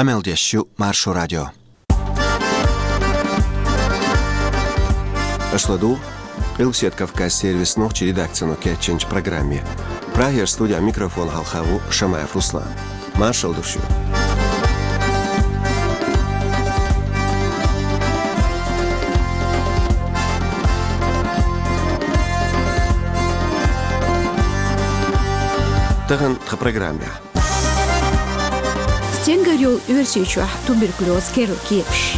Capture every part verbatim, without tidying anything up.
Къамел деш ю Маршо радио. Аша ладугӀу Къилбаседа Кавказан сервисан нохчийн редакцино кечйинчу программе. Прагера студин микрофона хьалха ву Шамаев Руслан. Маршалла ду шуьга. Тахана тхан программехь. Стенгара йолу Оьрсийчохь туберкулёзан керла кепаш.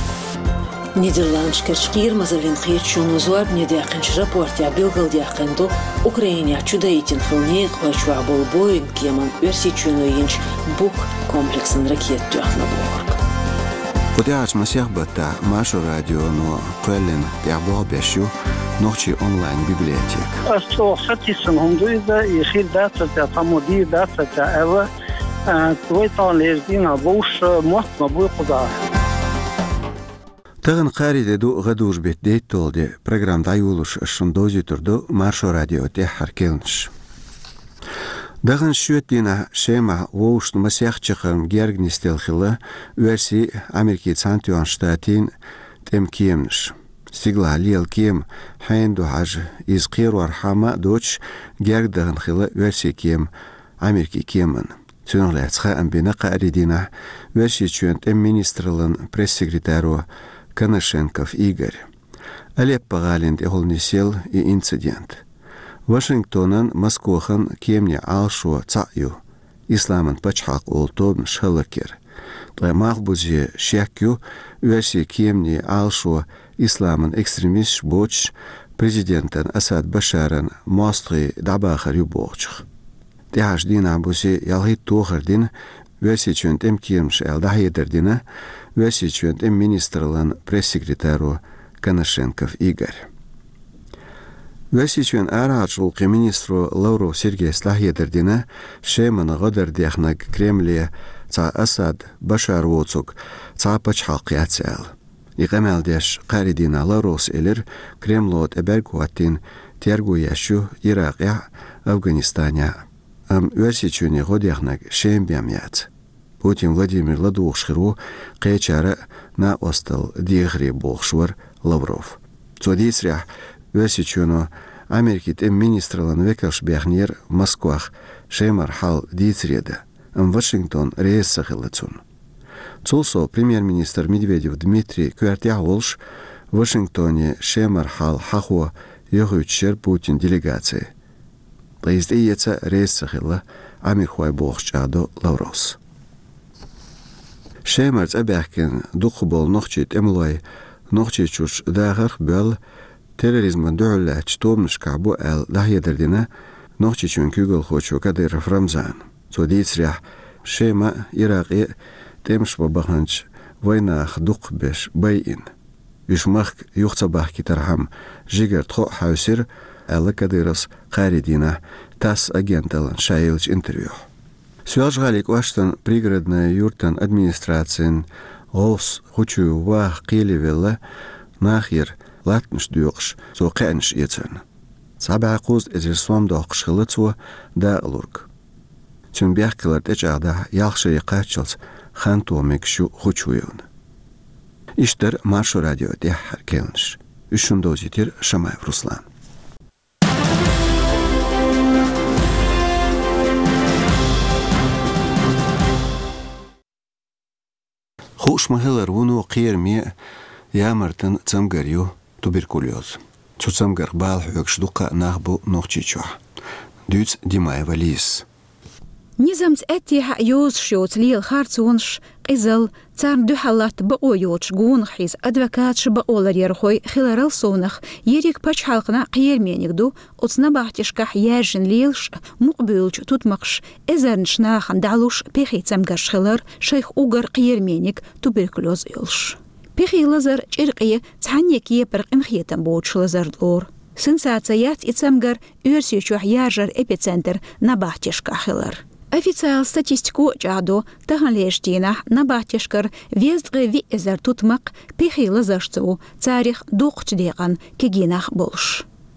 Нидерландашкарчу Кхерамазаллин кхеташоно зорбане даьккхинчу рапортехь билгалдаьккхина ду, Украинехь чудайтина хилла некъахойчохь болу Боинг кеманна Оьрсийчоьно йинчу Бук комплексан ракета тоьхна бохург. Кху тӀаьхьарчу масех баттахь Маршо радионо кхоьллина тӀехь болх беш ю нохчийн онлайн-библиотека. Ас чӀогӀа сатийсина хӀума ду иза, и хир дац аса, цхьаммо дийр дац аса аьлла, а, вай тахана лерчу дийнахь вовшах мотт ма буй кхузахь. Тахана кхаарин де ду, гӀадужу беттан дейтталгӀа де. Программа дӀайолош ас шуна довзуьйтур ду Маршо радион тӀаьххьара керланаш. Даханчу шоьтан дийнахь Шемахь вовшашна масех чаккхарма герга нисделла хилла Оьрсийн, Америкин Цхьаьнатоьхначу Штатийн тӀеман кеманаш. Стигалахь лела кема хьенан ду хьажа, иза кхерорхьама а доцуш, герга дахана хилла Оьрсийн кема Америкин кеманна. Цунах лаьцна хаам бина кхаарин дийнахь Оьрсийчоьнан тӀеман министраллан пресс-секретаро Коношенков Игоря. Алеппо гӀалина тӀехула нисъелла и инцидент. Вашингтонан, Москохан кеманийн Ӏалашо цхьаъ ю: Исламан пачхьалкх олу тобанаш хӀаллакъяр. Ткъа малхбузе шек ю, Оьрсийн кеманийн Ӏалашо исламан экстремисташ боцуш, президентан Асад Башаран мостагӀий дӀабахар ю бохучух. ТӀаьхьарчу дийнахь бусе ялхитта тохар дина Оьрсийчоьнан тӀеман кеманаша аьлла дӀахьедар дина Оьрсийчоьнан тӀеман министраллан пресс-секретаро Коношенков Игоря. Оьрсийчоьнан арахьарчу гӀуллакхийн министро Лавров Сергейс дӀахьедар дина, Шемана гӀо дар дехнарг Кремле цхьа Асад Башар воцург цхьа а пачхьалкх яц аьлла. И къамел деш кхаарин дийнахь Лавровс элира, Кремло тӀе бӀаьрг хӀоттийна терго еш ю Иракъехь а, Афганистанехь а. Амма Оьрсийчоьне гӀо дехнарг Шема бен яц. Путин Владимир ладугӀуш хир ву кхечара а накъосталла дехаре, бохуш вара Лавров. Цо дийцарехь, Оьрсийчоьно Америкин тӀеман министраллан векалш бехнера Москвах Шемара хьал дийцаре дан, амма Вашингтон реза ца хилла цунна. Цул сов премьер-министр Медведев Дмитрий коьртехь а волуш, Вашингтоне Шемара хьал хьахо йохуьйтуш яра Путинан делегаци. Ткъа иза тӀеэца реза ца хилла Ӏамеркахой, бохуш чӀагӀдо Лавровс. Шемара цӀа баьхкина дукхахболу нохчийн тӀемалой Нохчийчуьрчу дахарх а боьлла, терроризмана дуьхьал лаьттачу тобанашкахь бу аьлла дӀахьедар дина Нохчийчоьнан куьйгалхочо Кадыров Рамзана. Цо дийцарехь, Шема а, Иракъе а тӀемаш бан баханчу вайнахах дукхахберш байина. Уьш махка юха ца бахкийтархьама жигара тхо а хьаьвсира, аьлла Кадыровс кхаарин дийнахь ТАСС агенталлина ша еллачу интервьюхь. Соьлжа-ГӀалин кӀоштан Пригородная юьртан администрацин гӀовс Хучуев Ваха кхеле велла, нахера латтанаш доькъуш, цо кхаьънаш эцарна. Цхьа бӀе кхузткъа эзар сом доккхуш хилла цо дакъалург. Цуьнан бехкалар тӀечӀагӀдахь, ялх шаре кхаччалц хан тоха мегаш ю Хучуевна. Иштта дара Маршо радион тӀаьххьара керланаш. Уьш шуна довзийтира Шамаев Руслана. Хууш ма-хиллара, вуно кхераме а, ямартан а цамгар ю туберкулёз. Цу цамгарх бала хьоьгуш дуккха а нах бу Нохчийчохь. Дуьйцу Димаева Лизас. Низамца аьттехьа а йозуш йоцу лела харцонаш, къизалла, царна дуьхьал латта бакъо йоцуш гонах хьийза адвокаташ а, бакъоларъярхой хиларал совнах, ерриг пачхьалкхана кхерамениг ду оцу набахтешкахь яьржина лелаш а, мукъабуьйлучу тутмакхаш эзарнаш нахана дӀалуш пехий цамгарш хилар, шайх уггар кхерамениг туберкулёз йолуш. Пехий лазар чӀиркъе цхьанне кепара къинхетам боцуш лазар лору. Сенсаци яц и цамгар Оьрсийчохь яржар эпицентр набахтешкахь хилар. Официалан статистико а чӀагӀдо, таханлерчу дийнахь набахтешкара везткъе виъ эзар тутмакх пехий лазаршца ву, царах дукхачу декъан кегий нах болуш.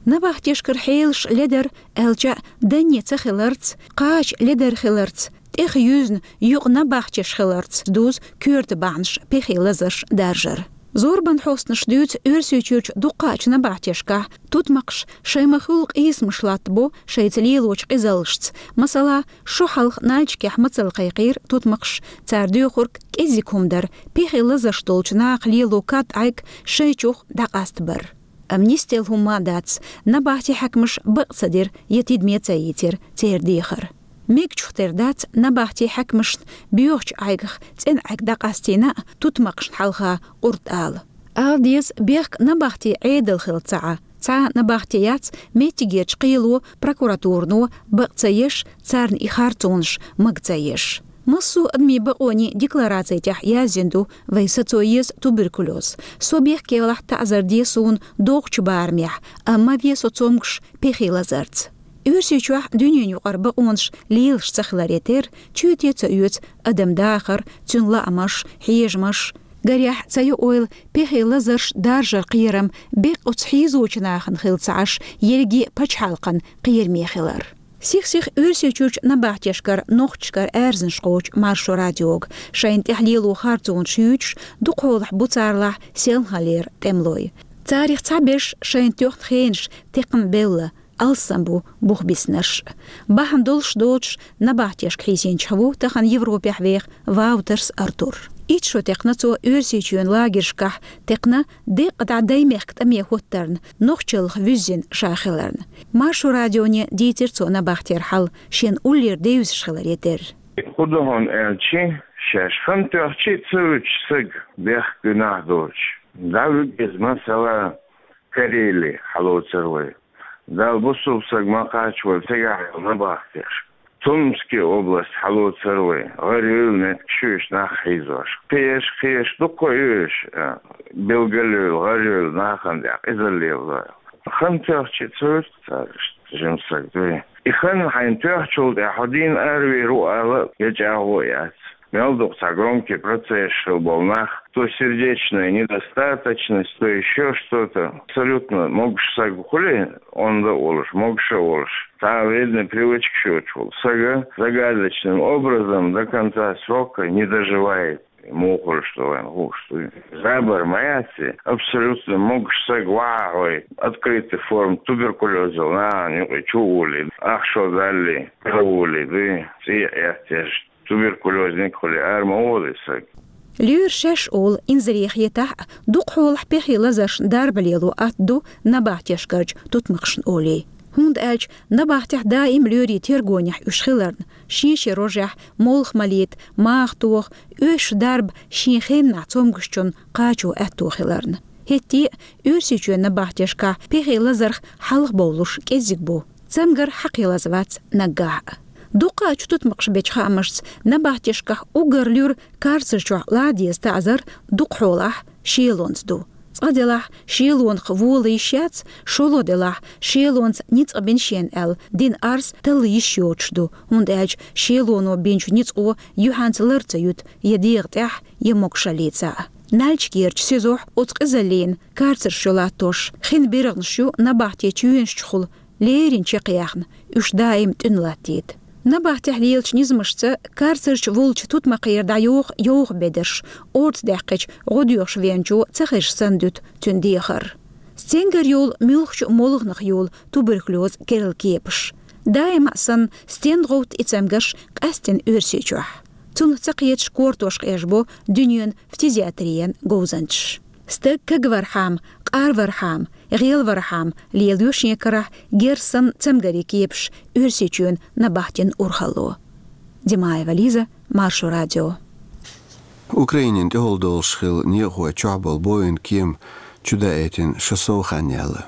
Набахтешкара хьелаш ледара, аьлча а, данне ца хиларца, кхача ледара хиларца, тӀех юьзна юкъа набахтеш хиларца дувз коьрта бахьанаш пехе лазарш даржар. Зорбан хьостанаш дуьйцу Оьрсийчуьрчу дуккхачу набахтешкахь тутмакхаш шайн ма-хуьллу къийсамаш латтабо шайца лелочу къизаллашца. Масала, шо хьалха Нальчикехь мацалла кхайкхийра тутмакхаш, цара доьхург кӀеззиг хӀума дара, пехе лазарш долчу наха лело кад-Ӏайг шайчух дӀакъастабар. Амма нисделла хӀумма а дац, набахти хьаькамаш бакъ ца дира я тидаме ца йийцира церан дехар. Мегачух тера дац набахти хьаькамашна боьхачу Ӏайгах цӀена Ӏайг дӀакъастийна а, тутмакхашна хьалха къурд ала. Ала деза, бехк набахти Ӏедал хилла ца Ӏа. Цхьа а набахти яц меттигерчу кхело, прокуратурано бакъ ца еш, царна и харцонаш мага ца еш. Массо а адамийн бакъонийн деклараци тӀехь яздина ду: вай сацо еза туберкулез. Со бехке валахь, таӀзар де суна догӀучу барамехь, амма ма ве со цомгуш пехе лазарца. Оьрсийчохь дуьненан юкъара бакъонаш лелаш ца хиларе терра, чоьте ца оьцу адам дахар, цуьнан лаамаш, хьежамаш. Гарехь, ца йо ойла, пехе лазарш даржар кхерам беккъа оцу хьийзочу нахана хилла ца Ӏаш, ерриге а пачхьалкхан кхераме хилар. Сих-сиха Оьрсийчуьрчу набахтешкара нохчашкара аьрзнаш кхочу Маршо радиога, шайна тӀехь лело харцонаш юьйцуш, дукхахьолахь бу царалахь селханлера тӀемалой. Царах цхьаберш шайна тоьхна хенаш текхна бевлла, алссам бу бух биснарш. Бахьана долуш доцуш набахтешка хьийзинчех ву тахана Европехь веха Ваутерс Артур. Итт шо текхна цо Оьрсийчоьнан лагершкахь, текхна деккъа дӀа даймехка тӀаме хӀоттарна, нохчаллах вуьззина ша хиларна. Маршо радионе дийцира цо набахтера хьал, шена уллера девзаш хиларе терра. ХӀун ду хьуна аьлча, шаьш хан тоьхча а ца вуьтуш саг бехк гуьнахь доцуш, дӀавуьгу иза, масала, Карели хьалоцур вай. Далла бусулба саг ма кхаччо вай цигахь йолу набахтеш. Томский область хьалоцур вай, гӀарайойла меттигаш ю уьш нах хьийзош. Кхеш, кхеш дуккха а ю уьш, а, билгалйойла, гӀарайойла нахана тӀехь къизалла лело. Хан тоьхча а ца вуьту цара иштта жима саг дуй. И хан хьайна тоьхчул тӀаьхьа хьо дийна аравийр ву ала я чӀагӀо яц. Мел дукха цхьа громкий процесс хилла болу нах, то сердечная недостаточность, то ещё что-то. Абсолютно могуш саг хуьлий, онда а волуш, могуш а волуш, цхьа а вредный привычкаш йоцуш волу сага загадочным образом до конца срока не доживает. Муха хуьлуш ду вайн хууш дуй. Забар ма яц и, абсолютно могуш саг вахьа хьой, открытый форма туберкулезал нахана юкъе чу а волий, ахча даллий, а волий дуй, цӀе а эттеш. Туберкулезник хуьлий ара ма волу и саг. Лоьра шаьш олу инзаре хетахь а, дукхахьолахь пехе лазаршна дарба лело атта ду набахтешкарчу тутмакхашна олий. ХӀунда аьлча набахтехь даим лоьрийн тергонехь уьш хиларна, шен-шен рожехь молха малийта, маха тоха, оьшуш дарба шен хеннахь цомгушчунна кхачо аьтто хиларна. ХӀетте а Оьрсийчоьнан набахтешкахь пехе лазарх хьалхабовлуш кӀеззиг бу. Цамгар хьакхелаза вац наггахь а. Дуккха а чу тутмакхаш бечу хаамашца, набахтешкахь уггар луьра карцар чохь лан деза таӀзар дукхахьолахь шелонца ду. Цкъа делахь, шелонах вола йиш яц, шолгӀа делахь, шелонца ницкъ бина шена аьлла, дина арз талла йиш йоцуш ду, хӀунда аьлча шелоно бинчу ницкъо юьхьанца лар ца юьту я дегӀа тӀехь, я могушаллица. Нальчикерчу СИЗО-хь оцу къизаллина карцарш йолаттош, хин биргӀанаш ю набахти чоьнаш чухула леррина чекхъяьхна, уьш даим тӀуьна латтийта. Набахтехь лелачу низамашца карцарчу волчу тутмакхера дӀайоху йовха бедарш, орца даьккхича гӀодоьхуш веанчо ца хезаш санна дуьту цуьнан дехар. Стенгара йолу муьлххачу а молханах йолу туберкулез керла кепаш. Даима а санна, стен гӀовтта и цамгарш къаьстина Оьрсийчохь. Цунах ца кхеташ кортош къежбо дуьненан фтизиатриян говзанчаш. Стаг кагвархьама, къарвархьама, гӀелвархьама лелайо шен карахь герз санна цамгарийн кепаш Оьрсийчоьнан набахтин урхалло. Димаева Лиза, Маршо радио. Украинин тӀехула долуш хилла некъахой чохь болу Боинг кема чудаийтина шо сов хан яьлла.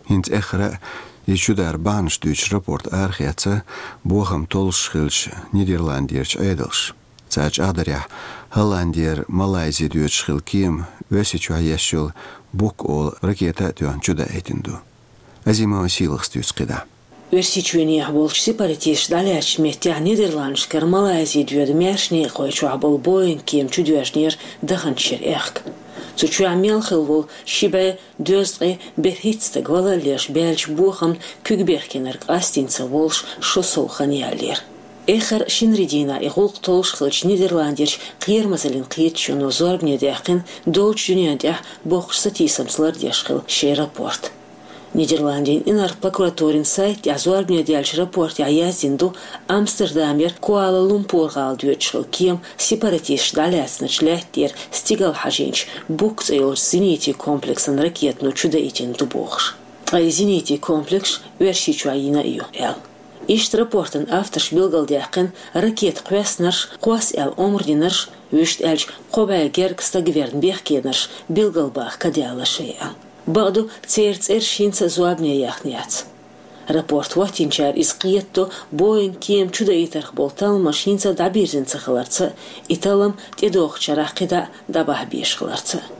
ХӀинца эххара а и чудар бахьанаш дуьйцуш рапорт арахецна бохам толлуш хиллачу Нидерландерчу Ӏедалша. Цара чӀагӀдарехь, Голландера Малайзи доьдуш хилла кема Оьрсийчохь еш йолу Бук олу ракета а тоьхна чудаийтина ду. Азимова Сийлахас дуьйцу кхидӀа. Оьрсийчоьнехь болчу сепаратисташа дӀалаьцначу меттехь Нидерландашкара Малайзи доьду маьрша некъахой чохь болу Боинг кема чудоьжнера даханчу шеран аьхка. Цу чохь мел хилла волу ши бӀе дезткъе берхӀитта стаг валаллеш баьлча бохамна куьг бехкенарг къастийна ца волуш шо сов хан яьллера. Эххар шинарин дийнахьа и гӀуллакх толлуш хиллачу Нидерландерчу кхерамазаллин кхеташоно зорбане даьккхина долчу дуьнен тӀехь боккхачу сатийсамца лардеш хилла шайн рапорт. Нидерландийн инарла прокуратурин сайта тӀехь зорбане даьллачу рапортехь яздина ду, Амстердамера Куала-Лумпур-гӀала доьдуш хилла кема сепаратисташ дӀалаьцначу лаьттара стигала хьажийначу Бук цӀе йолчу зенитийн комплексан ракетано чудаийтина ду бохуш. Ткъа и зенитийн комплекс Оьрсийчохь йина а ю аьлла. Иштта рапортан авторша билгалдаьккхина ракета кхоьссинарш, кхосса аьлла омра динарш, вуьшта аьлча кхо бӀе гергга стаг верна бехкенарш билгалбаха ка даьлла шайн аьлла. Бакъду, церан цӀераш хӀинца а зорбане яхна яц. Рапорт хӀоттийначара иза кхетадо Боинг кема чудаийтарх болу талламаш хӀинца а дӀабирзина ца хиларца а, и таллам тӀедогӀучу шарахь кхидӀа а дӀабахьа безаш хиларца а.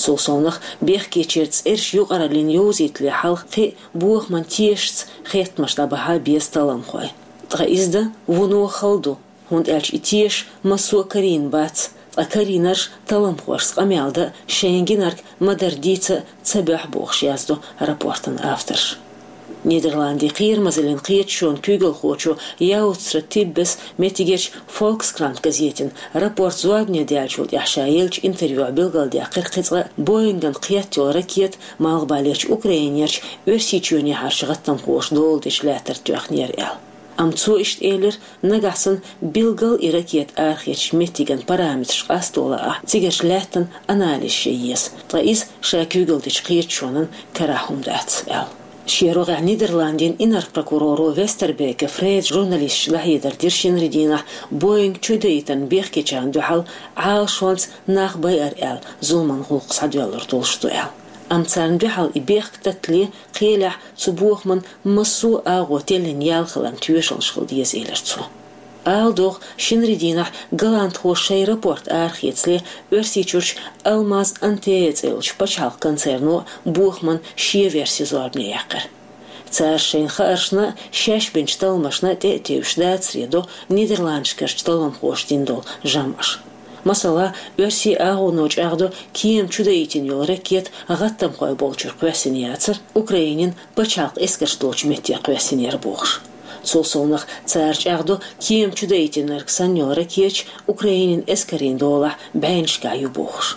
Цул совнаха, бехкечеран цӀераш юкъараллина йовзийтале хьалха кхин а бохаман тешашца хеттамаш дӀабахьа беза талламхой. Ткъа иза дан вуно хала ду, хӀунда аьлча и тешаш массо а карийна бац, ткъа карийнарш талламхошца къамел дан а, шайна гинарг ма-дарра дийца а ца боьху бохуш яздо рапортан авторша. Нидерландийн кхерамазаллин кхеташонан куьйгалхочо Яуцра Тиббес меттигерчу Volkskrant газетана рапорт зорбане даьллачул тӀаьхьа ша еллачу интервьюхь билгалдаьккхира кхин цкъа а Боинган кхетта йолу ракета малхбалерчу Украинерчу Оьрсийчоьнехьарчу гӀаттамхоша дола дечу лаьттара тоьхнера аьлла. Амма цо иштта элира, нагахь санна билггал и ракета арахецначу меттиган параметраш къасто лаахь, цигарчу лаьттан анализ ян еза, ткъа иза ша куьйгалла дечу кхеташонан карахь хӀума дац аьлла. Шен рогӀехь Нидерландийн инарла прокуроро Вестербеке Фреда журналисташка дӀахьедар дира шинарин дийнахь Боинг чудаийтарна бехкечарна дуьхьал Ӏалашонца нах байар аьлла зуламан гӀуллакх схьадоьллур долуш ду аьлла. Амма царна дуьхьал и бехк таттале кхелехь цу бохаман массо а агӀо теллина ял хиларна тоьшаллаш хила деза, элира цо. Ала догӀу, шинарин дийнахь голландхоша шайн рапорт арахецале, Оьрсийчуьрчу Алмаз Антея цӀе йолчу пачхьалкхан концерно бохаман шен верси зорбане яьккхира. Цара шайна хааршна а, шаьш бинчу талламашна а тӀе а тевжаш дацаре до Нидерландашкарчу талламхоша дина долу жамӀаш. Масала, оьрсийн агӀоно чӀагӀдо кема чудаийтина йолу ракета гӀаттамхой болчуьра кхоьссина яцара, Украинин пачхьалкх эскарш долчу метте кхоьссинера бохуш. Цул совнаха цара чӀагӀдо кема чудаийтинарг санна йолу ракеташ Украинин эскарийн долахь бӀеннашкахь ю бохуш.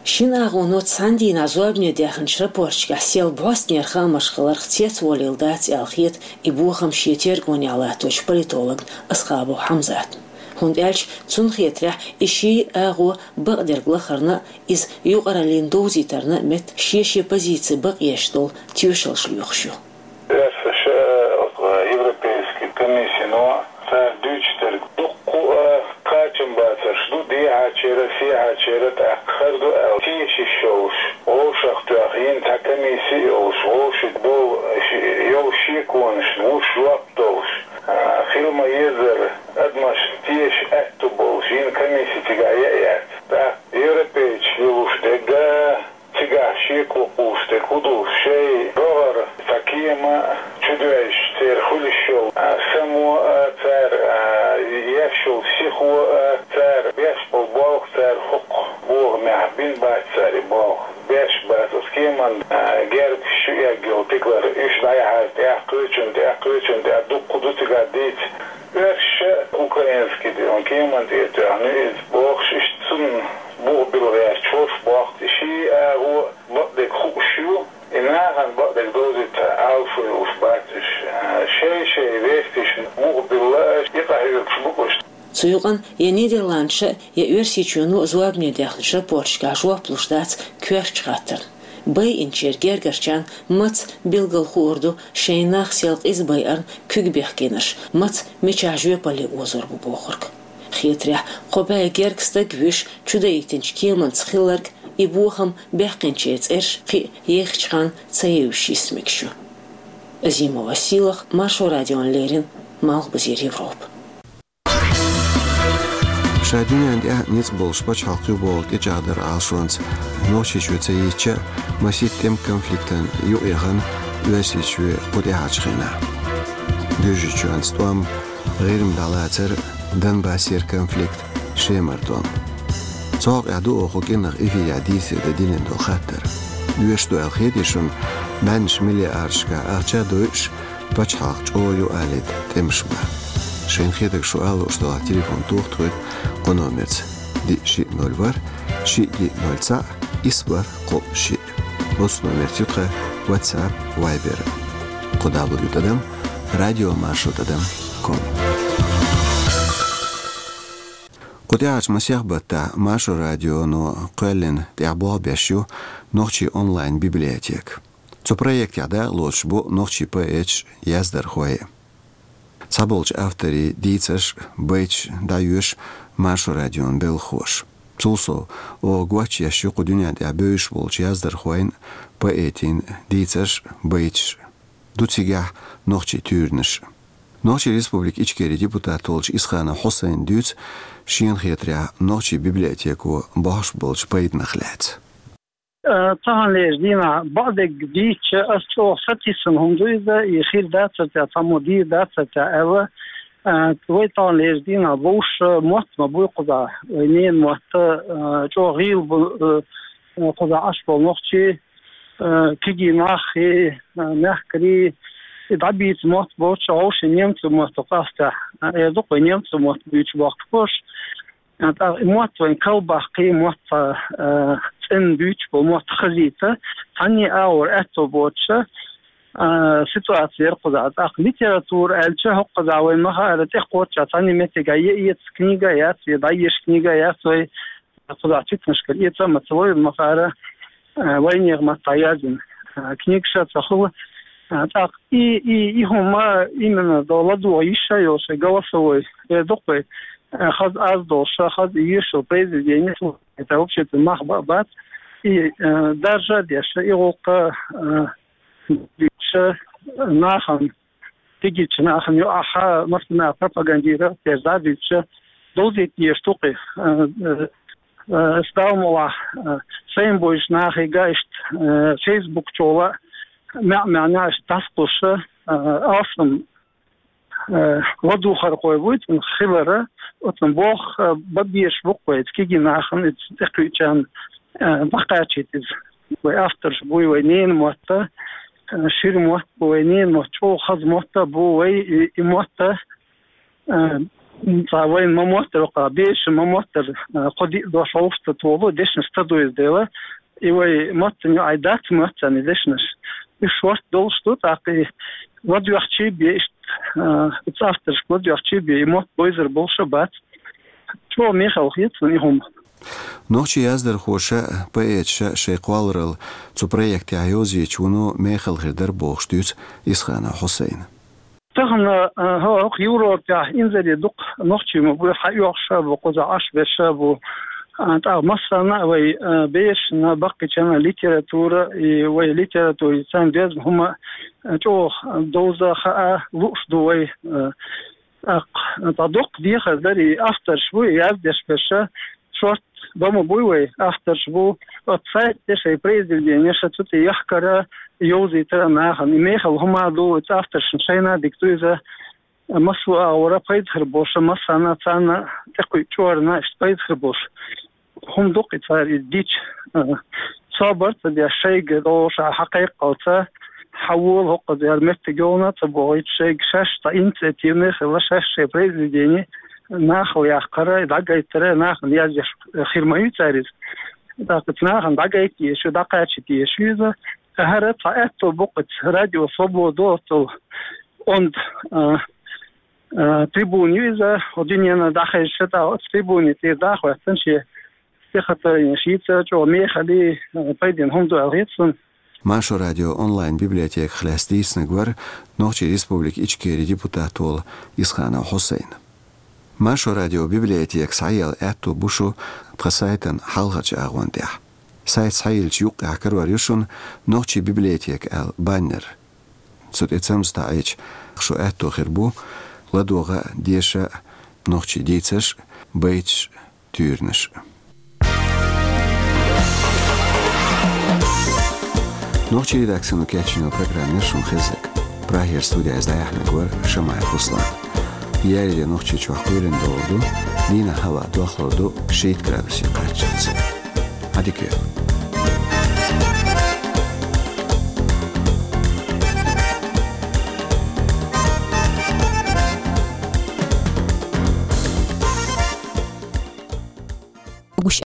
Шина агӀоно цхьана дийнахь зорбане даьхначу рапорташкахь сел бӀостанера хаамаш хиларх цецволийла дац аьлла хета и бохам шен тергонехь латточу политологна Асхабов Хьамзатна. ХӀунда аьлча цунна хетарехь и ши агӀо бакъдерг лахарна а, иза юкъараллина довзийтарна а метта шен-шен позици бакъъеш долу тоьшаллаш лоьхуш ю. Оьрсаша а, европейский комиссино а цара дуьйцуш дерг дуккха а кхачам бацарш ду, дехьачеран, сехьачеран тӀаккха хир ду аьлла, тешаш йолуш, вовшах тоьхна йина цхьа комисси а йолуш, вовшашна болу йолу шеконашна вуьш жоп долуш, а, хила ма-еззара адамашна тешаш аьтту болуш йина комисси цигахь яа яц. ТӀаккха европейцаш лелош дерг а, цигахь шеко кхуллуш дерг хӀун ду, шайн рогӀера цхьа кема чудоьжча церан хуьлуш йолу, а, само а цара, а, еш йолу сихо а цара, беш болу болх цара хӀокху бохамехь бина бац цара и болх. Беш бац оцу кеман, а, герга шу эгна йолу тигалара, уьш дӀаяхьара тӀаккха кхечунна, тӀаккха кхечунна, тӀаккха дуккха ду цигахь дийца. Оьрсаша а украинский кеман тӀе тоьхна ю иза бохуш, иштта цунна бух билла гӀерташ волуш бохку. И ши агӀо бакъдерг хууш ю, и нахана бакъдерг довзийта Ӏалашо йолуш бац уьш. Шай-шай вестийшна бух билла, и къахьоьгуш бу-кх уьш. Цу юкъана я Нидерландаш а, я Оьрсийчоьно а зорбане даьхначу рапорташкахь жоп луш дац коьртачу хаттарна. Байинчеран гергарчарна маца билггал хуур ду шайн нах сел къиза байарна куьг бехкенарш, маца мичахь жоьпалле озор бу бохург. Хетарехь, кхо бӀе гергга стаг вуьш чудаийтинчу кеманца хилларг, и бохам баьккхинчеран цӀерш кхин а еххачу ханна ца евзаш йист мегаш ю. Азимова Сийлаха, Маршо радиона леррина, Малхбузера Европа. Ша дуьненна тӀехь ницкъ болуш пачхьалкх ю бохург тӀечӀагӀдар Ӏалашонца Нохчийчоь ца йийцча а, масийтта тӀеман конфликтана юкъаяхана Оьрсийчоь кху тӀаьхьарчу хенахь. Доьжначу чоьнца тӀом, ГӀирма дӀалацар, Донбассера конфликт, Шемара тӀом. Цу хьокъехь ду оха кӀиранах эфирехь дийцаре дан диллина долу хаттар. Доьшуш ду аьлла хетий шуна, бӀеннаш миллиардашкахь ахча а дойуш, пачхьалкх чӀогӀа юкъалийта тӀемаш бан? Шайна хетарг шу ала лууш долахь, телефон тоха тхоьга кху номерца: диъ шиъ ноль ворхӀ, шиъ диъ ноль цхьаъ, исс бархӀ кхоъ шиъ. Оцу номерца ю тхан WhatsApp, Viber. Кху дабл ю тӀадам радиомаршо тӀадам ком. Кху тӀаьхьарчу масех баттахь Маршо радионо кхоьллина тӀехь болх беш ю нохчийн онлайн-библиотека. Цу проектехь дакъа лоцуш бу нохчийн поэташ, яздархой. Цхьаболчу авторийн дийцарш, байташ дӀайоьшу Маршо радион белхахоша. Цул сов, оха гочъеш ю кху дуьнен тӀехь бевзаш болчу яздархойн, поэтийн дийцарш, байташ. Ду цигахь нохчийн туьйранаш. Нохчийн Республикин Ичкерин депутат волчу Исханов Хьусайна дуьйцу шена хетарехь нохчийн библиотеко бохьуш болчу пайданах лаьцна. Э, цхьана лежа дийнахь бакъдерг дийцча, ас чӀогӀа сатийсина хӀума ду иза, и хир дацара те, цхьаммо дийр дацара те аьлла. Э, вай цхьана лежа дийнахь бовш мотт ма буй кхузахь, вай ненан мотт, э, чӀогӀа гӀийла бу, э, кхузахь Ӏаш болу нохчий, э, кегий нах и, э, мехкарий, и дӀабийца мотт боцуш, вовшийн немцийн мотт къаьстехь, э, эр ду-кх вай немцийн мотт буьйцуш бохкуш болуш. ТӀаккха и мотт вайн калбаккхий, мотт цхьа, э, цӀена буьйцуш болу мотт хазийта, цхьанний агӀор аьтто боцуша, э, ситуаци яра кхузахь. ТӀаккха литература аьлча, хӀокхузахь вайн ма-хаара тӀекхоччехь цхьанний меттигехь я эца книга яц, я дӀаеша книга яц вай, кхузахь читанашкара эца а ма ца ло, ма-хаара, э, вайнехан маттахь яздина, э, книгаш а ца хуьлу. Э, тӀаккха и, и, и хӀума именно до ладогӀа йиш а йолуш, шайн голосовой, эр ду-кх вай, э, хаза аз долуш, хаза йоьшуш йолу произведени слушать, это вообще-то мах ба-, бац. И, э, даржа а деш, и гӀуллакх, э, дуьйцуш нахана, кегийчу нахана юкъахь, массанхьа пропагандира, дерза а дуьйцуш, довзийта дезаш ду-кх и, э, э, э, ас Далла мукъалахь, э, сайна бевзачу нахе а иштта, э, Facebook чохь а, маьӀ-маьӀна иштта дӀасакхуьссуш, э, алсам, э, ладугӀархой вуй цунах хилар, оцунна болх, э, бан безаш бу-кх вай, кегий нахана иза тӀекхуьучарна, э, дӀакхачийта иза. Вай авторш буй, вай ненан мотт, э, шира мотт бу, вай ненан мотт чӀогӀа хаза мотт а бу, вай и, и мотт, э, цхьа вайна ма-моттара, кху бешан ма-моттара, э, кхо-диъ дош вовшахтолу дешнаш ца довза дела, и вай маттана юкъахь дац моьтту царна и дешнаш. Уьш шортта долуш ду, тӀаккха и ладоьгӀчий бен иштта, а, оцу авторшка ладоьгӀчий бен и мотт бевзар болуш а бац. ЧӀогӀа мехала хета суна и хӀума. Нохчийн яздархоша, поэташа шайн кхолларалла цу проектехь йовзийча, вуно мехала хир дара бохуш дуьйцу Исханов Хьусайна. Тахана, а, хӀо-, хӀокху Европехь инзаре дукха нохчий ма бу, хьаоьхуш а бу, кхузахь Ӏаш берш а бу. А, тӀаккха массарна а вай, а, бешана, баккхийчарна а литература, и вай литератури царна доьзна хӀума, а, чӀогӀа довза, хаа лууш ду вай. А, тӀаккха, а, тӀаккха дуккха дехар дара и авторш буй, и яздеш берш а, шортта бан ма буй вай, авторш бу, оцу сайта тӀе шайн произведенеш а цу тӀе яхкара, йовзийтара нахана. И мехала хӀума а ду, оцу авторшна шайна а дика ду иза, массо а агӀора пайда хир болуш, массарна а царна тӀекхуьу чӀорна иштта пайда хир болуш. ХӀума ду-кх и цара иза дича, а, собар ца деш, шайга долуш а хьакхайкхалца, хьавола хӀокхузара меттиг йолана а ца бохуьйтуш, шайга шаьш цхьа инициативный хилла, шаьш шайн произведени нахала яккхара, дӀагайтара, нахана яздеш хир ма ю цара иза. ТӀаккха иза нахана дӀагайта дезаш ю, дӀакхачийта дезаш ю иза. ХӀара цхьа аьтто бу-кх оцу Радио Свобода оццул онда, а, а, трибуна ю иза, хӀо дуьненна дӀахезча, тӀаккха оцу трибуни тӀера дӀа а хӀоьттина, шен стихотворенеш йийца, чӀогӀа мехалий, а, пайденна хӀума ду аьлла хета суна. Маршо радион онлайн-библиотеках лаьцна дийцинарг вара Нохчийн Республикин Ичкерин депутат волу Исханов Хьусайн. Маршо радион библиотека схьаелла аьтто бу шу тхан сайтан хьалхарчу агӀон тӀехь. Сайт схьайиллича юккъехь карор ю шуна «Нохчийн библиотека» аьлла баннер. Цу тӀе цамза таӀийча, шу аьтто хир бу ладогӀа а, деша а нохчийн дийцарш а, байташ а, туьйранаш а. Нохчийн редакцино кечйина программа яра шуна хезнарг. Прагера студехь иза дӀаяьхьнарг вара Шамаев Руслан. Еарин де Нохчийчохь кхоьлина догӀур ду, дийнахь хӀаваъ дохлур ду шийтта градусе кхаччалц. Ӏадика йойла.